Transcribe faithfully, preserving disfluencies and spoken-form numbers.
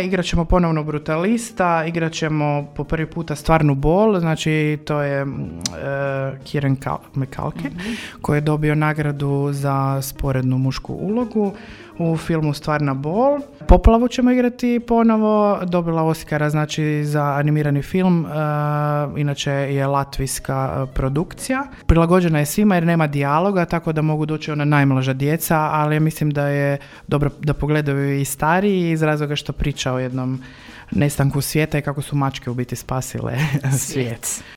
Igrat ćemo ponovno Brutalista, igrat ćemo po prvi puta Stvarnu bol, znači to je uh, Kieran McCulkin, mm-hmm. koji je dobio nagradu za sporednu mušku ulogu u filmu Stvarna bol. Poplavu ćemo igrati ponovo, dobila Oscara znači za animirani film, uh, inače je latvijska produkcija. Prilagođena je svima jer nema dijaloga, tako da mogu doći ona najmlaža djeca, ali ja mislim da je dobro da pogledaju i stariji iz razloga što priča o jednom nestanku svijeta i kako su mačke u biti spasile svijet.